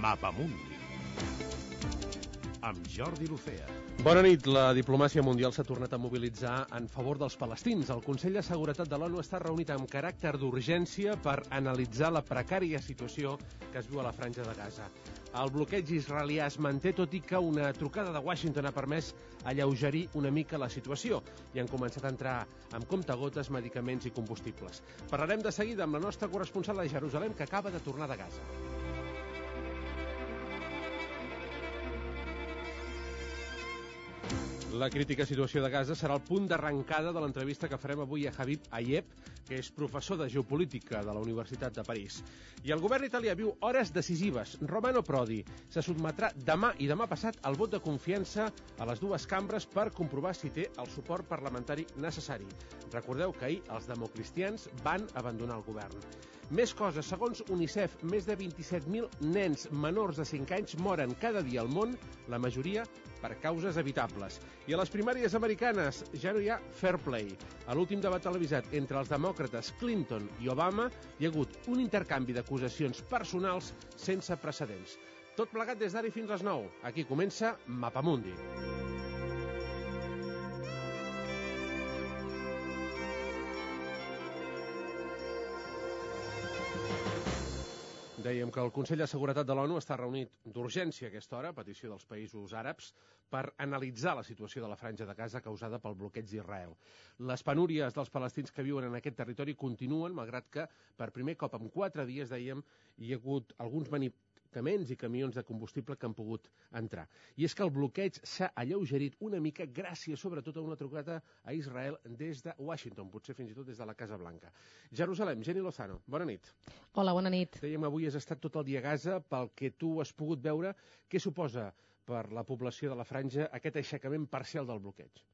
Mapamundi amb Jordi Lucea. Bona nit. La diplomàcia mundial s'ha tornat a mobilitzar en favor dels palestins. El Consell de Seguretat de l'ONU està reunit amb caràcter d'urgència per analitzar la precària situació que es viu a la franja de Gaza. El bloqueig israelià es manté, tot i que una trucada de Washington ha permès alleugerir una mica la situació i han començat a entrar amb comptagotes medicaments i combustibles. Parlarem de seguida amb la nostra corresponsal a Jerusalem, que acaba de tornar de Gaza. La crítica situació de Gaza serà el punt d'arrencada de l'entrevista que farem avui a Habib Ayeb, que és professor de geopolítica de la Universitat de París. I el govern italià viu hores decisives. Romano Prodi se sotmetrà demà i demà passat al vot de confiança a les dues cambres per comprovar si té el suport parlamentari necessari. Recordeu que ahir els democristians van abandonar el govern. Més coses. Segons UNICEF, més de 27.000 nens menors de 5 anys moren cada dia al món, la majoria per causes evitables. I a les primàries americanes ja no hi ha fair play. A l'últim debat televisat entre els demòcrates Clinton i Obama hi ha hagut un intercanvi d'acusacions personals sense precedents. Tot plegat des d'ara fins a les 9. Aquí comença Mapamundi. Dèiem que el Consell de Seguretat de l'ONU està reunit d'urgència a aquesta hora, a petició dels països àrabs, per analitzar la situació de la franja de Gaza causada pel bloqueig d'Israel. Les penúries dels palestins que viuen en aquest territori continuen, malgrat que per primer cop en 4 dies, dèiem, hi ha hagut alguns medicaments i camions de combustible que han pogut entrar. I és que el bloqueig s'ha alleugerit una mica gràcies sobretot a una trucada a Israel des de Washington, potser fins i tot des de la Casa Blanca. Jerusalem, Jenny Lozano, bona nit. Hola, bona nit. Dèiem, avui has estat tot el dia a Gaza. Pel que tu has pogut veure, què suposa per la població de la franja aquest aixecament parcial del bloqueig?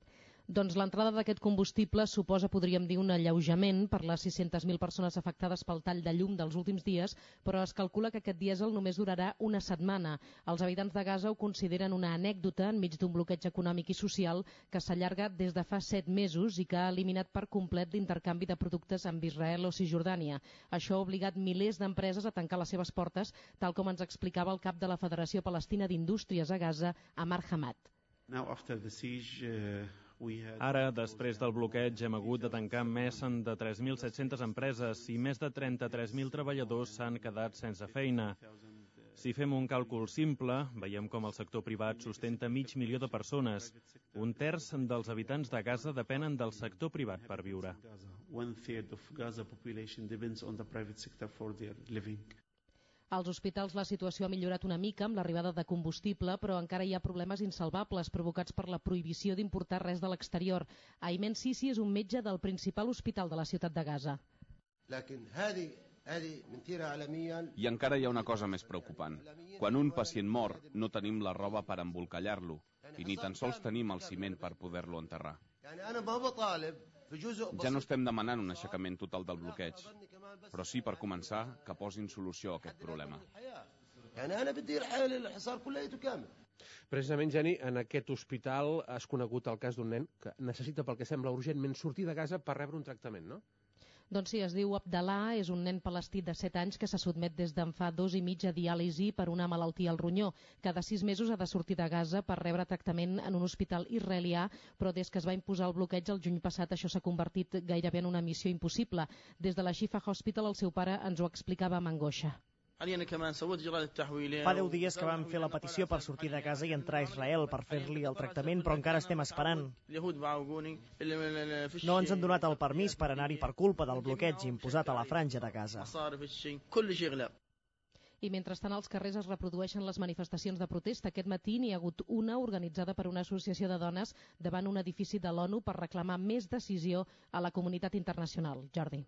Doncs l'entrada d'aquest combustible suposa, podríem dir, un alleujament per les 600.000 persones afectades pel tall de llum dels últims dies, però es calcula que aquest dièsel només durarà una setmana. Els habitants de Gaza ho consideren una anècdota enmig d'un bloqueig econòmic i social que s'allarga des de fa 7 mesos i que ha eliminat per complet l'intercanvi de productes amb Israel o Cisjordània. Això ha obligat milers d'empreses a tancar les seves portes, tal com ens explicava el cap de la Federació Palestina d'Indústries a Gaza, Amar Hamad. Ara, després del bloqueig, hem hagut de tancar més de 3.700 empreses i més de 33.000 treballadors s'han quedat sense feina. Si fem un càlcul simple, veiem com el sector privat sustenta 500.000 de persones. Un terç dels habitants de Gaza depenen del sector privat per viure. Als hospitals la situació ha millorat una mica amb l'arribada de combustible, però encara hi ha problemes insalvables provocats per la prohibició d'importar res de l'exterior. Aymen Sisi és un metge del principal hospital de la ciutat de Gaza. I encara hi ha una cosa més preocupant. Quan un pacient mor, no tenim la roba per embolcallar-lo i ni tan sols tenim el ciment per poder-lo enterrar. Ja no estem demanant un aixecament total del bloqueig, però sí, per començar, que posin solució a aquest problema. Precisament, Jenny, en aquest hospital has conegut el cas d'un nen que necessita, pel que sembla, urgentment sortir de Gaza per rebre un tractament, no? Doncs sí, es diu Abdallah, és un nen palestí de 7 anys que se sotmet des d'en fa 2 i mig a diàlisi per una malaltia al ronyó. Cada 6 mesos ha de sortir de Gaza per rebre tractament en un hospital israelià, però des que es va imposar el bloqueig el juny passat això s'ha convertit gairebé en una missió impossible. Des de la Shifa Hospital el seu pare ens ho explicava amb angoixa. Fa 10 dies que vam fer la petició per sortir de casa i entrar a Israel per fer-li el tractament, però encara estem esperant. No ens han donat el permís per anar-hi per culpa del bloqueig imposat a la franja de Gaza. I mentrestant als carrers es reprodueixen les manifestacions de protesta. Aquest matí n'hi ha hagut una organitzada per una associació de dones davant un edifici de l'ONU per reclamar més decisió a la comunitat internacional. Jordi.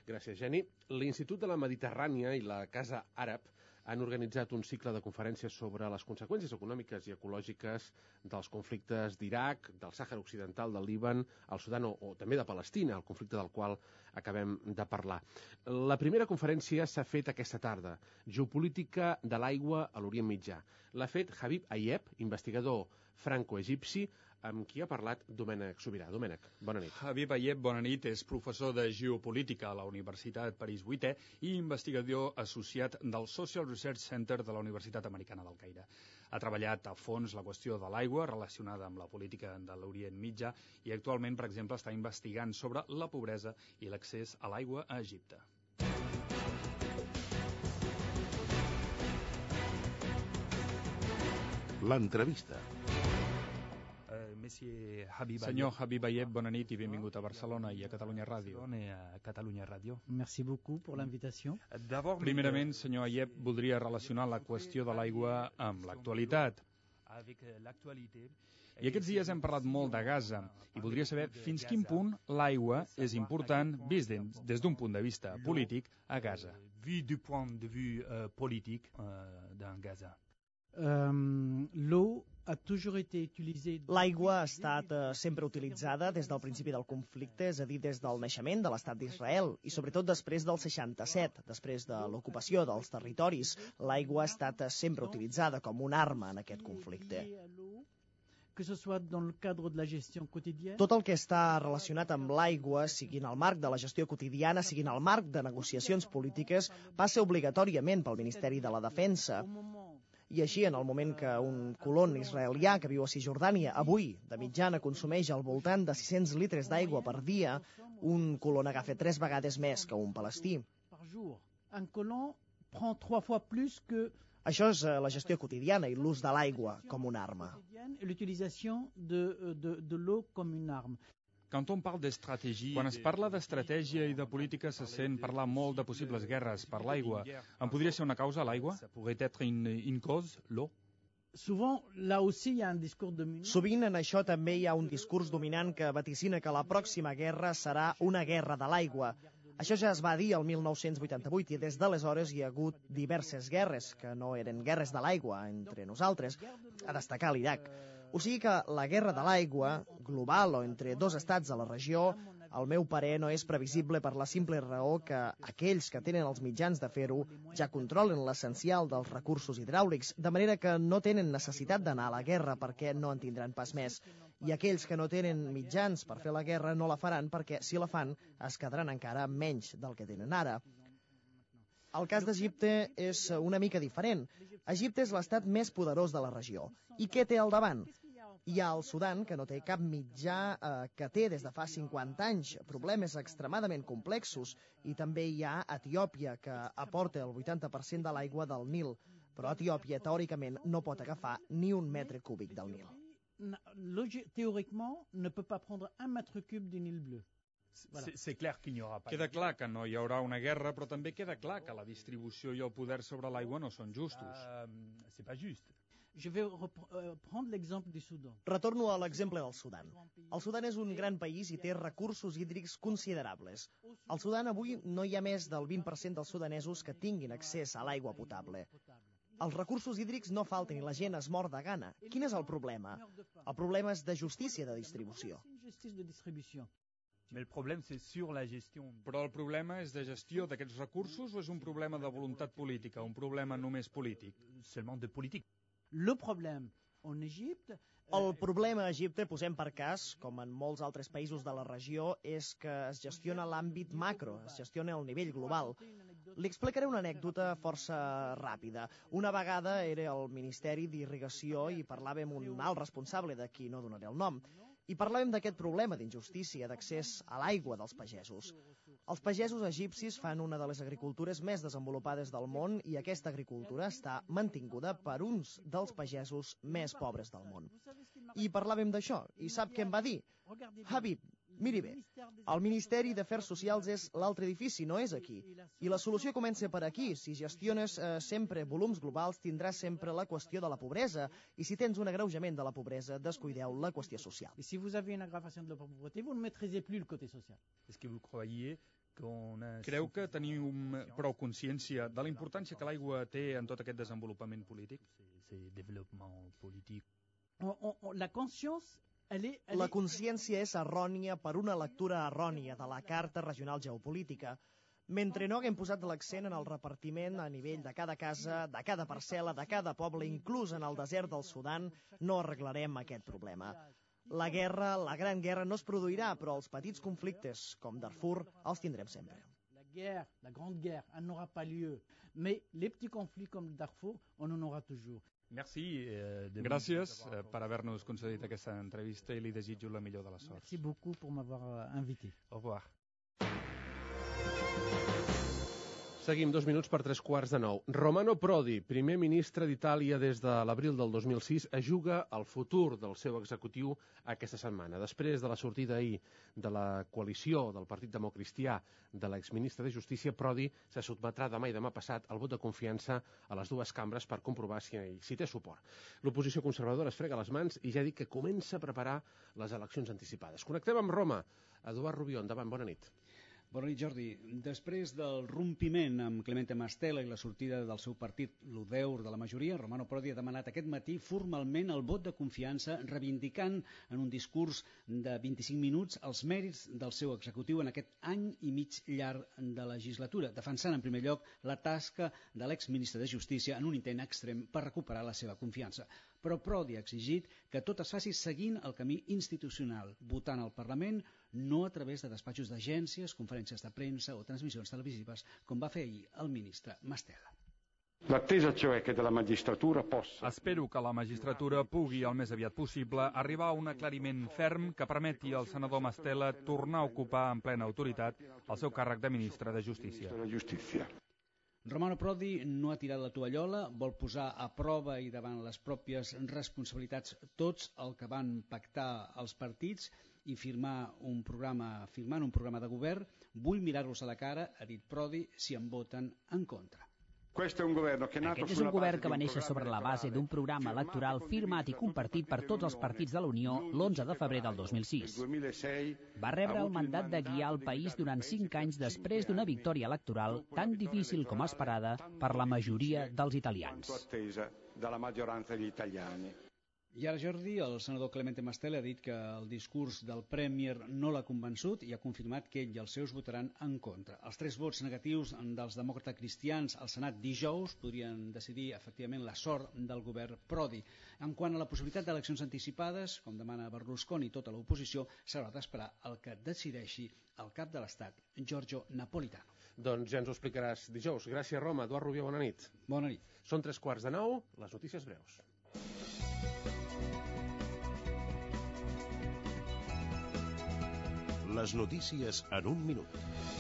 Gràcies, Jenny. L'Institut de la Mediterrània i la Casa Àrab han organitzat un cicle de conferències sobre les conseqüències econòmiques i ecològiques dels conflictes d'Iraq, del Sàhara Occidental, del Líban, el Sudan o també de Palestina, el conflicte del qual acabem de parlar. La primera conferència s'ha fet aquesta tarda, Geopolítica de l'aigua a l'Orient Mitjà. L'ha fet Habib Ayeb, investigador franco-egipci, amb qui ha parlat Domènec Sobirà. Domènec, bona nit. Habib Ayeb, bona nit, és professor de Geopolítica a la Universitat París 8è i investigador associat del Social Research Center de la Universitat Americana del Caire. Ha treballat a fons la qüestió de l'aigua relacionada amb la política de l'Orient Mitjà i actualment, per exemple, està investigant sobre la pobresa i l'accés a l'aigua a Egipte. L'entrevista. Senyor Habib Ayeb, bona nit i benvingut a Barcelona i a Catalunya Ràdio. Merci beaucoup pour l'invitation. Primerament, senyor Ayeb, voldria relacionar la qüestió de l'aigua amb l'actualitat. I aquests dies hem parlat molt de Gaza i voldria saber fins quin punt l'aigua és important vist des d'un punt de vista polític a Gaza. Vu du point de vue politique dans Gaza. L'eau a toujours été utilisée... L'aigua ha estat sempre utilitzada des del principi del conflicte, és a dir, des del naixement de l'Estat d'Israel, i sobretot després del 67, després de l'ocupació dels territoris. L'aigua ha estat sempre utilitzada com una arma en aquest conflicte. Que ce soit dans le cadre de la gestion quotidienne. Tot el que està relacionat amb l'aigua, sigui en el marc de la gestió quotidiana, sigui en el marc de negociacions polítiques, passa obligatòriament pel Ministeri de la Defensa. I així, en el moment que un colon israelià que viu a Cisjordània avui, de mitjana, consumeix al voltant de 600 litres d'aigua per dia, un colon agafa 3 vegades més que un palestí. Un colon prend 3 fois plus que... Això és la gestió quotidiana i l'ús de l'aigua com una arma. L'utilisation de l'eau com una arma. Quan es parla d'estratègia i de política se sent parlar molt de possibles guerres per l'aigua. En podria ser una causa, l'aigua? Pourrait être une cause, l'eau? Sovint en això també hi ha un discurs dominant que vaticina que la pròxima guerra serà una guerra de l'aigua. Això ja es va dir el 1988 i des d'aleshores hi ha hagut diverses guerres, que no eren guerres de l'aigua entre nosaltres, a destacar l'Iraq. O sigui que la guerra de l'aigua, global o entre dos estats de la regió, al meu parer no és previsible per la simple raó que aquells que tenen els mitjans de fer-ho ja controlen l'essencial dels recursos hidràulics, de manera que no tenen necessitat d'anar a la guerra perquè no en tindran pas més. I aquells que no tenen mitjans per fer la guerra no la faran perquè, si la fan, es quedaran encara menys del que tenen ara. El cas d'Egipte és una mica diferent. Egipte és l'estat més poderós de la regió. I què té al davant? Hi ha el Sudan, que no té cap mitjà, que té des de fa 50 anys problemes extremadament complexos, i també hi ha Etiòpia, que aporta el 80% de l'aigua del Nil, però Etiòpia, teòricament, no pot agafar ni un metre cúbic del Nil. Théoriquement, ne peut pas prendre un mètre cube du Nil bleu. Queda clar que no hi haurà una guerra, però també queda clar que la distribució i el poder sobre l'aigua no són justos. Je vais prendre l'exemple du Soudan. Retorno a l'exemple del Sudan. El Sudan és un gran país i té recursos hídrics considerables. Al Sudan avui no hi ha més del 20% dels sudanesos que tinguin accés a l'aigua potable. Els recursos hídrics no falten i la gent es mor de gana. Quin és el problema? El problema és de justícia de distribució. Però el problema és de gestió d'aquests recursos o és un problema de voluntat política, un problema només polític? Le problème en Égypte... El problema a Egipte, posem per cas, com en molts altres països de la regió, és que es gestiona l'àmbit macro, es gestiona el nivell global. Li explicaré una anècdota força ràpida. Una vegada era al Ministeri d'Irrigació i parlàvem amb un alt responsable, de qui no donaré el nom, i parlàvem d'aquest problema d'injustícia d'accés a l'aigua dels pagesos. Els pagesos egipcis fan una de les agricultures més desenvolupades del món i aquesta agricultura està mantinguda per uns dels pagesos més pobres del món. I parlàvem d'això, i sap què em va dir? Habib, miri bé, el Ministeri d'Afers Socials és l'altre edifici, no és aquí. I la solució comença per aquí. Si gestiones sempre volums globals, tindràs sempre la qüestió de la pobresa. I si tens un agreujament de la pobresa, descuideu la qüestió social. Et si vous avez une aggravation de la pauvreté, vous ne maîtrisez plus le côté social. Est-ce que vous croyez Creu que teniu prou consciència de la importància que l'aigua té en tot aquest desenvolupament polític? La conscience... La consciència és errònia per una lectura errònia de la Carta Regional Geopolítica. Mentre no haguem posat l'accent en el repartiment a nivell de cada casa, de cada parcel·la, de cada poble, inclús en el desert del Sudan, no arreglarem aquest problema. La guerra, la gran guerra, no es produirà, però els petits conflictes, com Darfur, els tindrem sempre. La grande guerre, elle n'aura pas lieu. Mais les petits conflits comme Darfour, on en aura toujours. Gràcies per haver-nos concedit aquesta entrevista i li desitjo la millor de les sorts. Merci beaucoup pour m'avoir invité. Au revoir. Seguim 2 minuts per 3:15. Romano Prodi, primer ministre d'Itàlia des de l'abril del 2006, es juga el futur del seu executiu aquesta setmana. Després de la sortida ahir de la coalició del Partit Democristià de l'exministre de Justícia, Prodi se sotmetrà demà i demà passat al vot de confiança a les dues cambres per comprovar si té suport. L'oposició conservadora es frega les mans i ja dic que comença a preparar les eleccions anticipades. Connectem amb Roma. Eduard Rubió, endavant, bona nit. Bona nit, Jordi. Després del rompiment amb Clemente Mastella i la sortida del seu partit, l'Udeur de la majoria, Romano Prodi ha demanat aquest matí formalment el vot de confiança, reivindicant en un discurs de 25 minuts els mèrits del seu executiu en aquest any i mig llarg de legislatura, defensant en primer lloc la tasca de l'exministre de Justícia en un intent extrem per recuperar la seva confiança. Però Prodi ha exigit que tot es faci seguint el camí institucional, votant al Parlament, no a través de despatxos d'agències, conferències de premsa o transmissions televisives, com va fer ahir el ministre Mastella. L'attesa cioè che dalla magistratura possa... Espero que la magistratura pugui, el més aviat possible, arribar a un aclariment ferm que permeti al senador Mastella tornar a ocupar en plena autoritat el seu càrrec de ministre de Justícia. Romano Prodi no ha tirat la tovallola, vol posar a prova i davant les pròpies responsabilitats tots el que van pactar els partits i firmant un programa de govern. Vull mirar-los a la cara, ha dit Prodi, si em voten en contra. Aquest és un govern que va néixer sobre la base d'un programa electoral firmat i compartit per tots els partits de la Unió l'11 de febrer del 2006. Va rebre el mandat de guiar el país durant 5 anys després d'una victòria electoral tan difícil com esperada per la majoria dels italians. I ara, Jordi, el senador Clemente Mastella ha dit que el discurs del Premier no l'ha convençut i ha confirmat que ell i els seus votaran en contra. Els 3 vots negatius dels demòcrates cristians al Senat dijous podrien decidir efectivament la sort del govern Prodi. En quant a la possibilitat d'eleccions anticipades, com demana Berlusconi i tota l'oposició, s'haurà d'esperar el que decideixi el cap de l'Estat, Giorgio Napolitano. Doncs ja ens ho explicaràs dijous. Gràcies, Roma. Eduard Rubió, bona nit. Bona nit. Són 3:15, les notícies breus. Les notícies en un minut.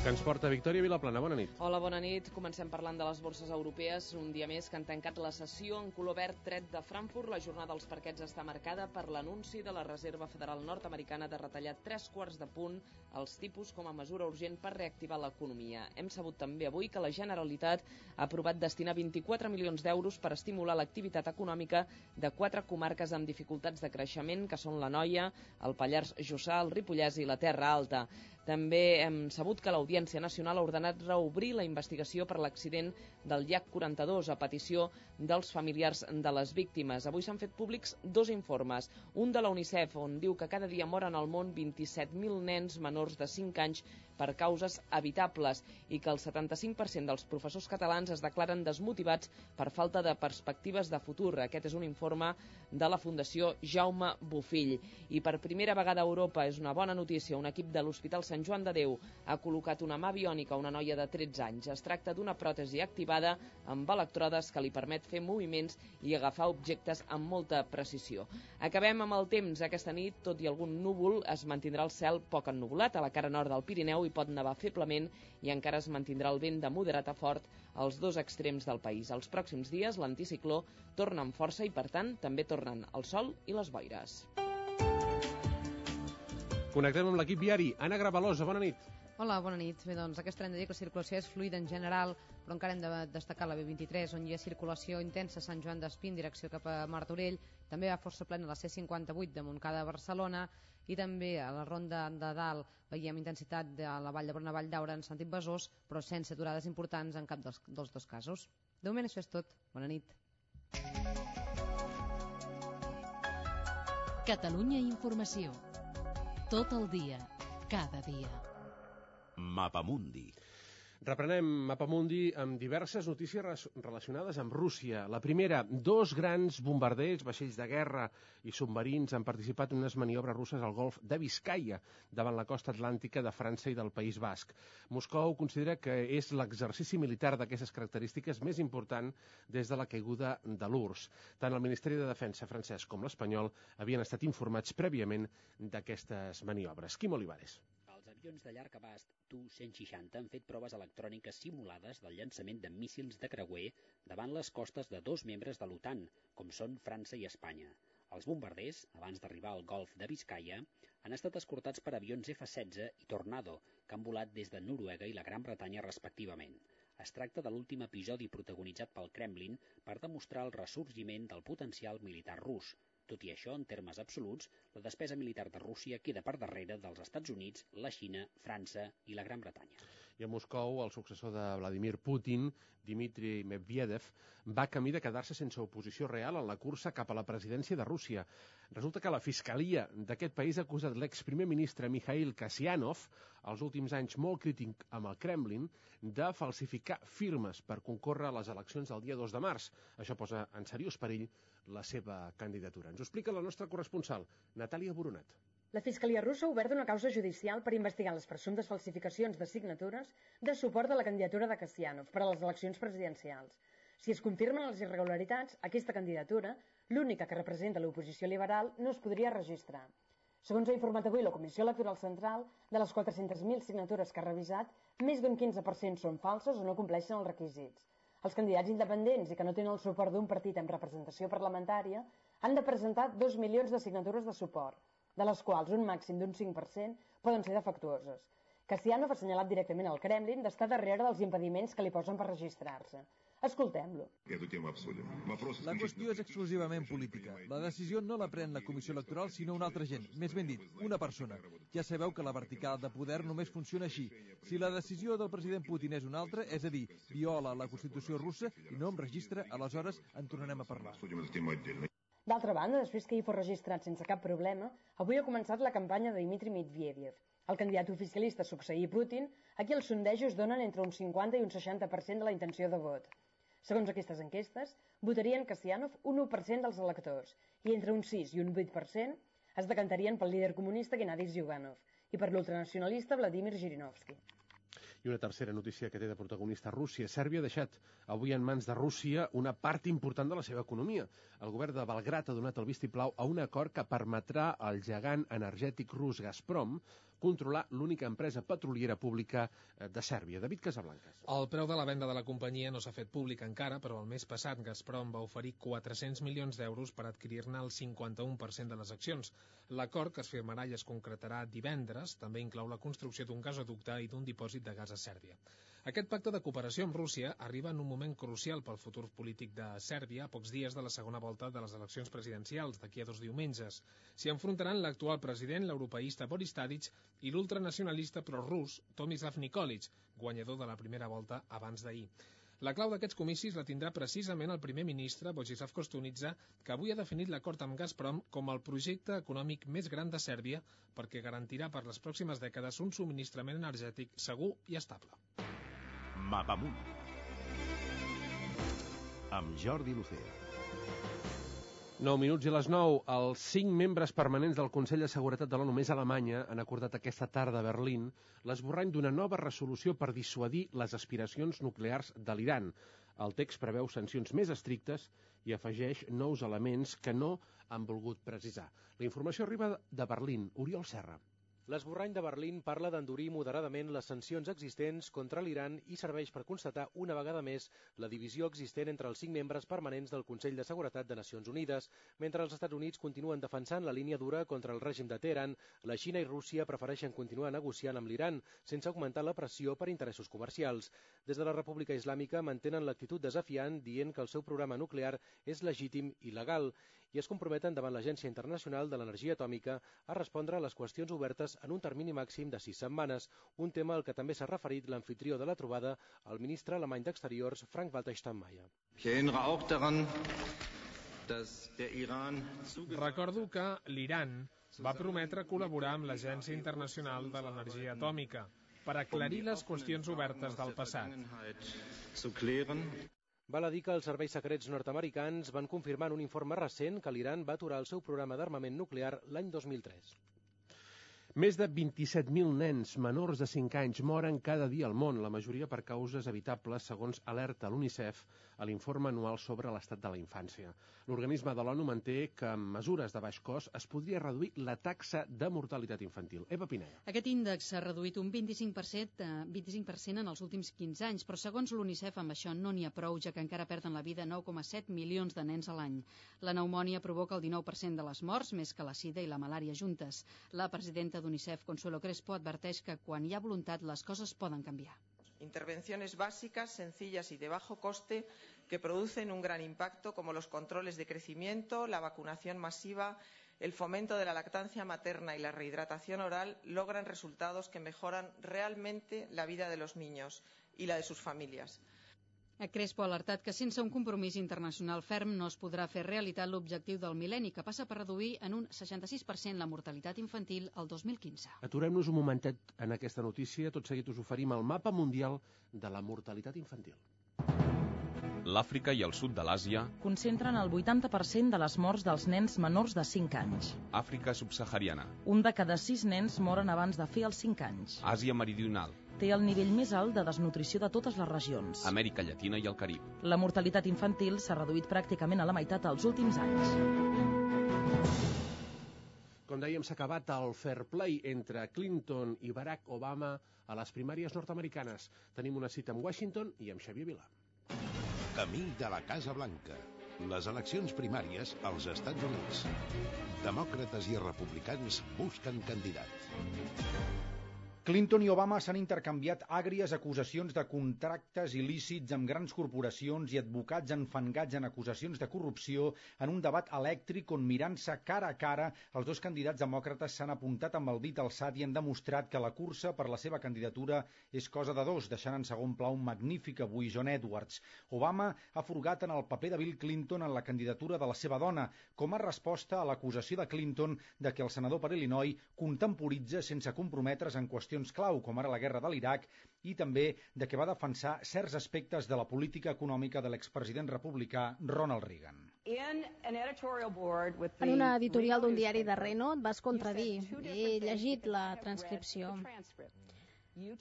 Que ens porta Victòria Vilaplana. Bona nit. Hola, bona nit. Comencem parlant de les borses europees. Un dia més que han tancat la sessió en color verd tret de Frankfurt. La jornada dels parquets està marcada per l'anunci de la Reserva Federal nord-americana de retallar 3/4 de punt els tipus com a mesura urgent per reactivar l'economia. Hem sabut també avui que la Generalitat ha aprovat destinar 24 milions d'euros per estimular l'activitat econòmica de 4 comarques amb dificultats de creixement, que són l'Anoia, el Pallars Jussà, el Ripollès i la Terra Alta. També hem sabut que l'Audiència Nacional ha ordenat reobrir la investigació per l'accident del llac 42 a petició dels familiars de les víctimes. Avui s'han fet públics 2 informes. Un de la UNICEF, on diu que cada dia moren al món 27.000 nens menors de 5 anys per causes evitables i que el 75% dels professors catalans es declaren desmotivats per falta de perspectives de futur. Aquest és un informe de la Fundació Jaume Bofill. I per primera vegada a Europa, és una bona notícia, un equip de l'Hospital Sant Joan de Déu ha col·locat una mà biònica a una noia de 13 anys. Es tracta d'una pròtesi activada amb electrodes que li permet fer moviments i agafar objectes amb molta precisió. Acabem amb el temps. Aquesta nit, tot i algun núvol, es mantindrà el cel poc ennuvolat. A la cara nord del Pirineu hi pot nevar feblement i encara es mantindrà el vent de moderat a fort als 2 extrems del país. Els pròxims dies l'anticicló torna amb força i, per tant, també tornen el sol i les boires. Connectem amb l'equip viari. Anna Gravalosa, bona nit. Hola, bona nit. Bé, doncs aquesta hem de dir que la circulació és fluida en general, però encara hem de destacar la B23, on hi ha circulació intensa a Sant Joan d'Espí en direcció cap a Martorell. També va força plena la C58 de Montcada a Barcelona i també a la Ronda de Dalt veiem intensitat de la Vall d'Hebron a Vall d'Aura en sentit Besòs, però sense aturades importants en cap dels 2 casos. De moment això és tot. Bona nit. Catalunya Informació. Tot el dia, cada dia. Mapamundi. Reprenem Mapamundi amb diverses notícies relacionades amb Rússia. La primera, 2 grans bombarders, vaixells de guerra i submarins han participat en unes maniobres russes al golf de Biscaia, davant la costa atlàntica de França i del País Basc. Moscou considera que és l'exercici militar d'aquestes característiques més important des de la caiguda de l'URSS. Tant el Ministeri de Defensa francès com l'espanyol havien estat informats prèviament d'aquestes maniobres. Quim Olivares. Els avions de llarg abast Tu-160 han fet proves electròniques simulades del llançament de míssils de creuer davant les costes de 2 membres de l'OTAN, com són França i Espanya. Els bombarders, abans d'arribar al golf de Biscaia, han estat escortats per avions F-16 i Tornado, que han volat des de Noruega i la Gran Bretanya respectivament. Es tracta de l'últim episodi protagonitzat pel Kremlin per demostrar el ressorgiment del potencial militar rus. Tot i això, en termes absoluts, la despesa militar de Rússia queda per darrere dels Estats Units, la Xina, França i la Gran Bretanya. I a Moscou, el successor de Vladimir Putin, Dmitry Medvedev, va camí de quedar-se sense oposició real en la cursa cap a la presidència de Rússia. Resulta que la fiscalia d'aquest país ha acusat l'exprimer ministre Mikhail Kasyanov, als últims anys molt crític amb el Kremlin, de falsificar firmes per concórrer a les eleccions del dia 2 de març. Això posa en seriós perill la seva candidatura. Ens ho explica la nostra corresponsal, Natàlia Boronat. La Fiscalia russa ha obert una causa judicial per investigar les presumptes falsificacions de signatures de suport a la candidatura de Kasyanov per a les eleccions presidencials. Si es confirmen les irregularitats, aquesta candidatura, l'única que representa l'oposició liberal, no es podria registrar. Segons ha informat avui la Comissió Electoral Central, de les 400.000 signatures que ha revisat, més d'un 15% són falses o no compleixen els requisits. Els candidats independents i que no tenen el suport d'un partit amb representació parlamentària han de presentar 2 milions de signatures de suport, de les quals un màxim d'un 5% poden ser defectuoses. Kasyanov ha assenyalat directament al Kremlin d'estar darrere dels impediments que li posen per registrar-se. Escoltem-lo. La qüestió és exclusivament política. La decisió no la pren la Comissió Electoral, sinó un altre gent, més ben dit, una persona. Ja sabeu que la vertical de poder només funciona així. Si la decisió del president Putin és una altra, és a dir, viola la Constitució russa i no em registra, aleshores en tornarem a parlar. D'altra banda, després que hi fos registrat sense cap problema, avui ha començat la campanya de Dmitry Medvedev, el candidat oficialista a succeir Putin, a qui els sondejos donen entre un 50 i un 60% de la intenció de vot. Segons aquestes enquestes, votarien Kasyanov un 1% dels electors i entre un 6 i un 8% es decantarien pel líder comunista Gennady Zyuganov i per l'ultranacionalista Vladimir Zhirinovsky. I una tercera notícia que té de protagonista Rússia. Sèrbia ha deixat avui en mans de Rússia una part important de la seva economia. El govern de Belgrat ha donat el vistiplau a un acord que permetrà al gegant energètic rus Gazprom controlar l'única empresa petroliera pública de Sèrbia. David Casablancas. El preu de la venda de la companyia no s'ha fet públic encara, però el mes passat Gazprom va oferir 400 milions d'euros per adquirir-ne el 51% de les accions. L'acord, que es firmarà i es concretarà divendres, també inclou la construcció d'un gasoducte i d'un dipòsit de gas a Sèrbia. Aquest pacte de cooperació amb Rússia arriba en un moment crucial pel futur polític de Sèrbia, a pocs dies de la segona volta de les eleccions presidencials, d'aquí a 2 diumenges. S'hi enfrontaran l'actual president, l'europeista Boris Tadic, i l'ultranacionalista prorús Tomislav Nikolic, guanyador de la primera volta abans d'ahir. La clau d'aquests comicis la tindrà precisament el primer ministre, Vojislav Koštunica, que avui ha definit l'acord amb Gazprom com el projecte econòmic més gran de Sèrbia perquè garantirà per les pròximes dècades un subministrament energètic segur i estable. Mapamunt amb Jordi Lucea. 9 minuts i les 9. Els 5 membres permanents del Consell de Seguretat de l'ONU més Alemanya han acordat aquesta tarda a Berlín l'esborrany d'una nova resolució per dissuadir les aspiracions nuclears de l'Iran. El text preveu sancions més estrictes i afegeix nous elements que no han volgut precisar. La informació arriba de Berlín. Oriol Serra. L'esborrany de Berlín parla d'endurir moderadament les sancions existents contra l'Iran i serveix per constatar una vegada més la divisió existent entre els 5 membres permanents del Consell de Seguretat de Nacions Unides. Mentre els Estats Units continuen defensant la línia dura contra el règim de Teheran, la Xina i Rússia prefereixen continuar negociant amb l'Iran sense augmentar la pressió per interessos comercials. Des de la República Islàmica mantenen l'actitud desafiant dient que el seu programa nuclear és legítim i legal i es comprometen davant l'Agència Internacional de l'Energia Atòmica a respondre a les qüestions obertes en un termini màxim de 6 setmanes, un tema al que també s'ha referit l'anfitrió de la trobada, el ministre alemany d'Exteriors, Frank-Walter Steinmeier. Recordo que l'Iran va prometre col·laborar amb l'Agència Internacional de l'Energia Atòmica. per aclarir les qüestions obertes del passat. Val a dir que els serveis secrets nord-americans van confirmar en un informe recent que l'Iran va aturar el seu programa d'armament nuclear l'any 2003. Més de 27.000 nens menors de 5 anys moren cada dia al món, la majoria per causes evitables, segons alerta l'UNICEF a l'informe anual sobre l'estat de la infància. L'organisme de l'ONU manté que amb mesures de baix cost es podria reduir la taxa de mortalitat infantil. Eva Pineda. Aquest índex s'ha reduït un 25% en els últims 15 anys, però segons l'UNICEF amb això no n'hi ha prou, ja que encara perden la vida 9,7 milions de nens a l'any. La pneumònia provoca el 19% de les morts, més que la sida i la malària juntes. La presidenta d'UNICEF, Consuelo Crespo, adverteix que quan hi ha voluntat les coses poden canviar. Intervenciones básicas, sencillas y de bajo coste que producen un gran impacto, como los controles de crecimiento, la vacunación masiva, el fomento de la lactancia materna y la rehidratación oral, logran resultados que mejoran realmente la vida de los niños y la de sus familias. Crespo ha alertat que sense un compromís internacional ferm no es podrà fer realitat l'objectiu del mil·lenni, que passa per reduir en un 66% la mortalitat infantil al 2015. Aturem-nos un momentet en aquesta notícia. Tot seguit us oferim el mapa mundial de la mortalitat infantil. L'Àfrica i el sud de l'Àsia concentren el 80% de les morts dels nens menors de 5 anys. Àfrica subsahariana. Un de cada 6 nens moren abans de fer els 5 anys. Àsia meridional. Té el nivell més alt de desnutrició de totes les regions. Amèrica Llatina i el Carib. La mortalitat infantil s'ha reduït pràcticament a la meitat els últims anys. Com dèiem, s'ha acabat el fair play entre Clinton i Barack Obama a les primàries nord-americanes. Tenim una cita amb Washington i amb Xavier Vilà. Camí de la Casa Blanca. Les eleccions primàries als Estats Units. Demòcrates i republicans busquen candidat. Clinton i Obama s'han intercanviat àgries acusacions de contractes il·lícits amb grans corporacions i advocats enfangats en acusacions de corrupció en un debat elèctric on, mirant-se cara a cara, els dos candidats demòcrates s'han apuntat amb el dit alçat i han demostrat que la cursa per la seva candidatura és cosa de dos, deixant en segon pla un magnífic avui John Edwards. Obama ha furgat en el paper de Bill Clinton en la candidatura de la seva dona, com a resposta a l'acusació de Clinton de que el senador per Illinois contemporitza sense comprometre's en qüestions clau, com ara la guerra de l'Iraq, i també de que va defensar certs aspectes de la política econòmica de l'expresident republicà Ronald Reagan. En una editorial d'un diari de Reno et vas contradir. He llegit la transcripció.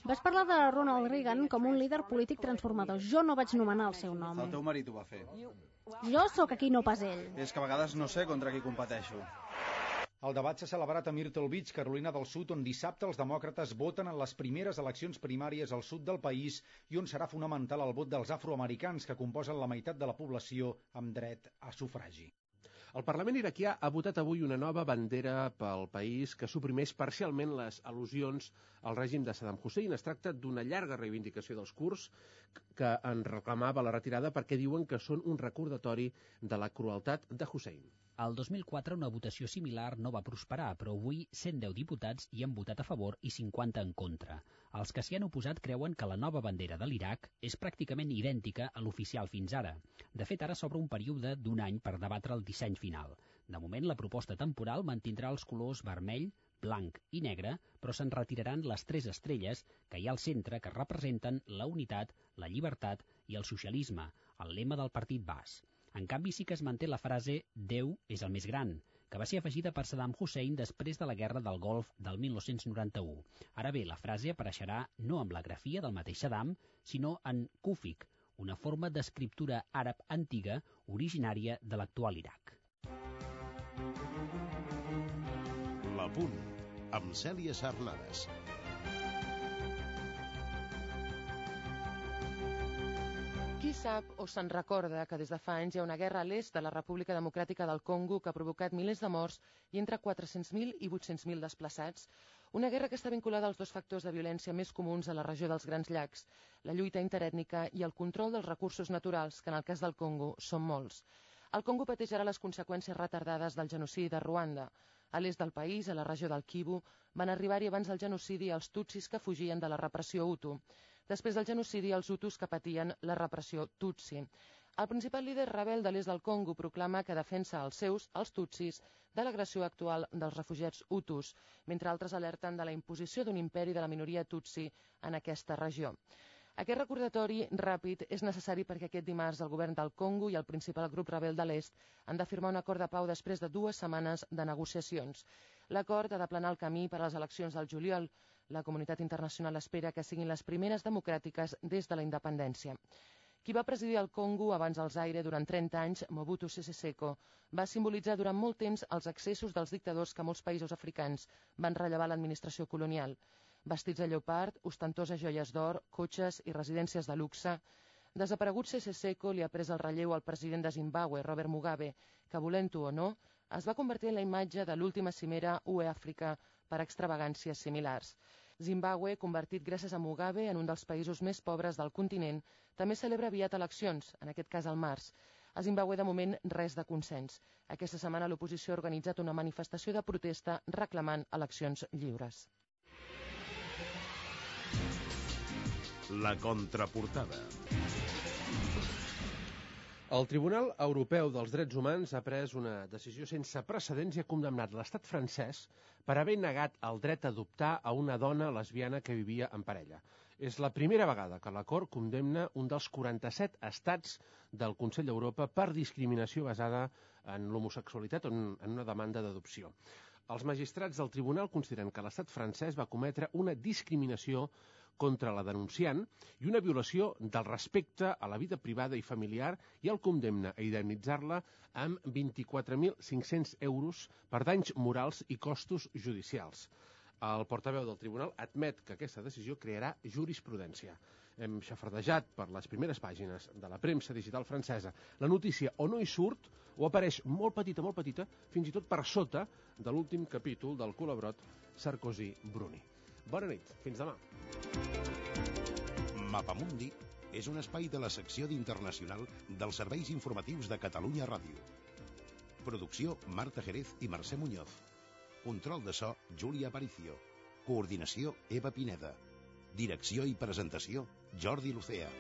Vas parlar de Ronald Reagan com un líder polític transformador. Jo no vaig nomenar el seu nom. El teu marit ho va fer. Jo sóc aquí, no pas ell. És que a vegades no sé contra qui competeixo. El debat s'ha celebrat a Myrtle Beach, Carolina del Sud, on dissabte els demòcrates voten en les primeres eleccions primàries al sud del país i on serà fonamental el vot dels afroamericans, que composen la meitat de la població amb dret a sufragi. El Parlament iraquià ha votat avui una nova bandera pel país que suprimeix parcialment les al·lusions al règim de Saddam Hussein. Es tracta d'una llarga reivindicació dels kurds que en reclamava la retirada perquè diuen que són un recordatori de la crueltat de Hussein. Al 2004 una votació similar no va prosperar, però avui 110 diputats hi han votat a favor i 50 en contra. Els que s'hi han oposat creuen que la nova bandera de l'Iraq és pràcticament idèntica a l'oficial fins ara. De fet, ara s'obre un període d'un any per debatre el disseny final. De moment, la proposta temporal mantindrà els colors vermell, blanc i negre, però se'n retiraran les 3 estrelles que hi ha al centre que representen la unitat, la llibertat i el socialisme, el lema del partit Baas. En canvi, sí que es manté la frase «Déu és el més gran», que va ser afegida per Saddam Hussein després de la Guerra del Golf del 1991. Ara bé, la frase apareixerà no amb la grafia del mateix Saddam, sinó en kúfic, una forma d'escriptura àrab antiga originària de l'actual Iraq. La Punt, amb Cèlia Sarnades. Qui sap o se'n recorda que des de fa anys hi ha una guerra a l'est de la República Democràtica del Congo que ha provocat milers de morts i entre 400.000 i 800.000 desplaçats? Una guerra que està vinculada als dos factors de violència més comuns a la regió dels Grans Llacs, la lluita interètnica i el control dels recursos naturals, que en el cas del Congo són molts. El Congo pateix ara les conseqüències retardades del genocidi de Ruanda. A l'est del país, a la regió del Kivu, van arribar-hi abans del genocidi els tutsis que fugien de la repressió Hutu. Després del genocidi, els hutus que patien la repressió tutsi. El principal líder rebel de l'est del Congo proclama que defensa els seus, els tutsis, de l'agressió actual dels refugiats hutus, mentre altres alerten de la imposició d'un imperi de la minoria tutsi en aquesta regió. Aquest recordatori ràpid és necessari perquè aquest dimarts el govern del Congo i el principal grup rebel de l'est han de firmar un acord de pau després de 2 setmanes de negociacions. L'acord ha d'aplanar el camí per a les eleccions del juliol. La comunitat internacional espera que siguin les primeres democràtiques des de la independència. Qui va presidir el Congo abans del Zaire durant 30 anys, Mobutu Sese Seko, va simbolitzar durant molt temps els excessos dels dictadors que molts països africans van rellevar l'administració colonial. Vestits de lleopard, ostentoses joies d'or, cotxes i residències de luxe. Desaparegut Sese Seko li ha pres el relleu al president de Zimbabwe, Robert Mugabe, que, volent-ho o no, es va convertir en la imatge de l'última cimera UE-Àfrica per extravagàncies similars. Zimbabwe, convertit gràcies a Mugabe en un dels països més pobres del continent, també celebra aviat eleccions, en aquest cas al març. A Zimbabwe, de moment, res de consens. Aquesta setmana l'oposició ha organitzat una manifestació de protesta reclamant eleccions lliures. La contraportada. El Tribunal Europeu dels Drets Humans ha pres una decisió sense precedents i ha condemnat l'estat francès per haver negat el dret a adoptar a una dona lesbiana que vivia en parella. És la primera vegada que la Cort condemna un dels 47 estats del Consell d'Europa per discriminació basada en l'homosexualitat o en una demanda d'adopció. Els magistrats del tribunal consideren que l'estat francès va cometre una discriminació contra la denunciant i una violació del respecte a la vida privada i familiar i el condemna a indemnitzar-la amb 24.500 euros per danys morals i costos judicials. El portaveu del tribunal admet que aquesta decisió crearà jurisprudència. Hem xafardejat per les primeres pàgines de la premsa digital francesa. La notícia o no hi surt o apareix molt petita, fins i tot per sota de l'últim capítol del Colabrot Sarkozy-Bruni. Bona nit, fins demà. Mapamundi és un espai de la secció d'Internacional dels serveis informatius de Catalunya Ràdio. Producció Marta Jerez i Mercè Muñoz. Control de so Júlia Aparicio. Coordinació Eva Pineda. Direcció i presentació Jordi Lucea.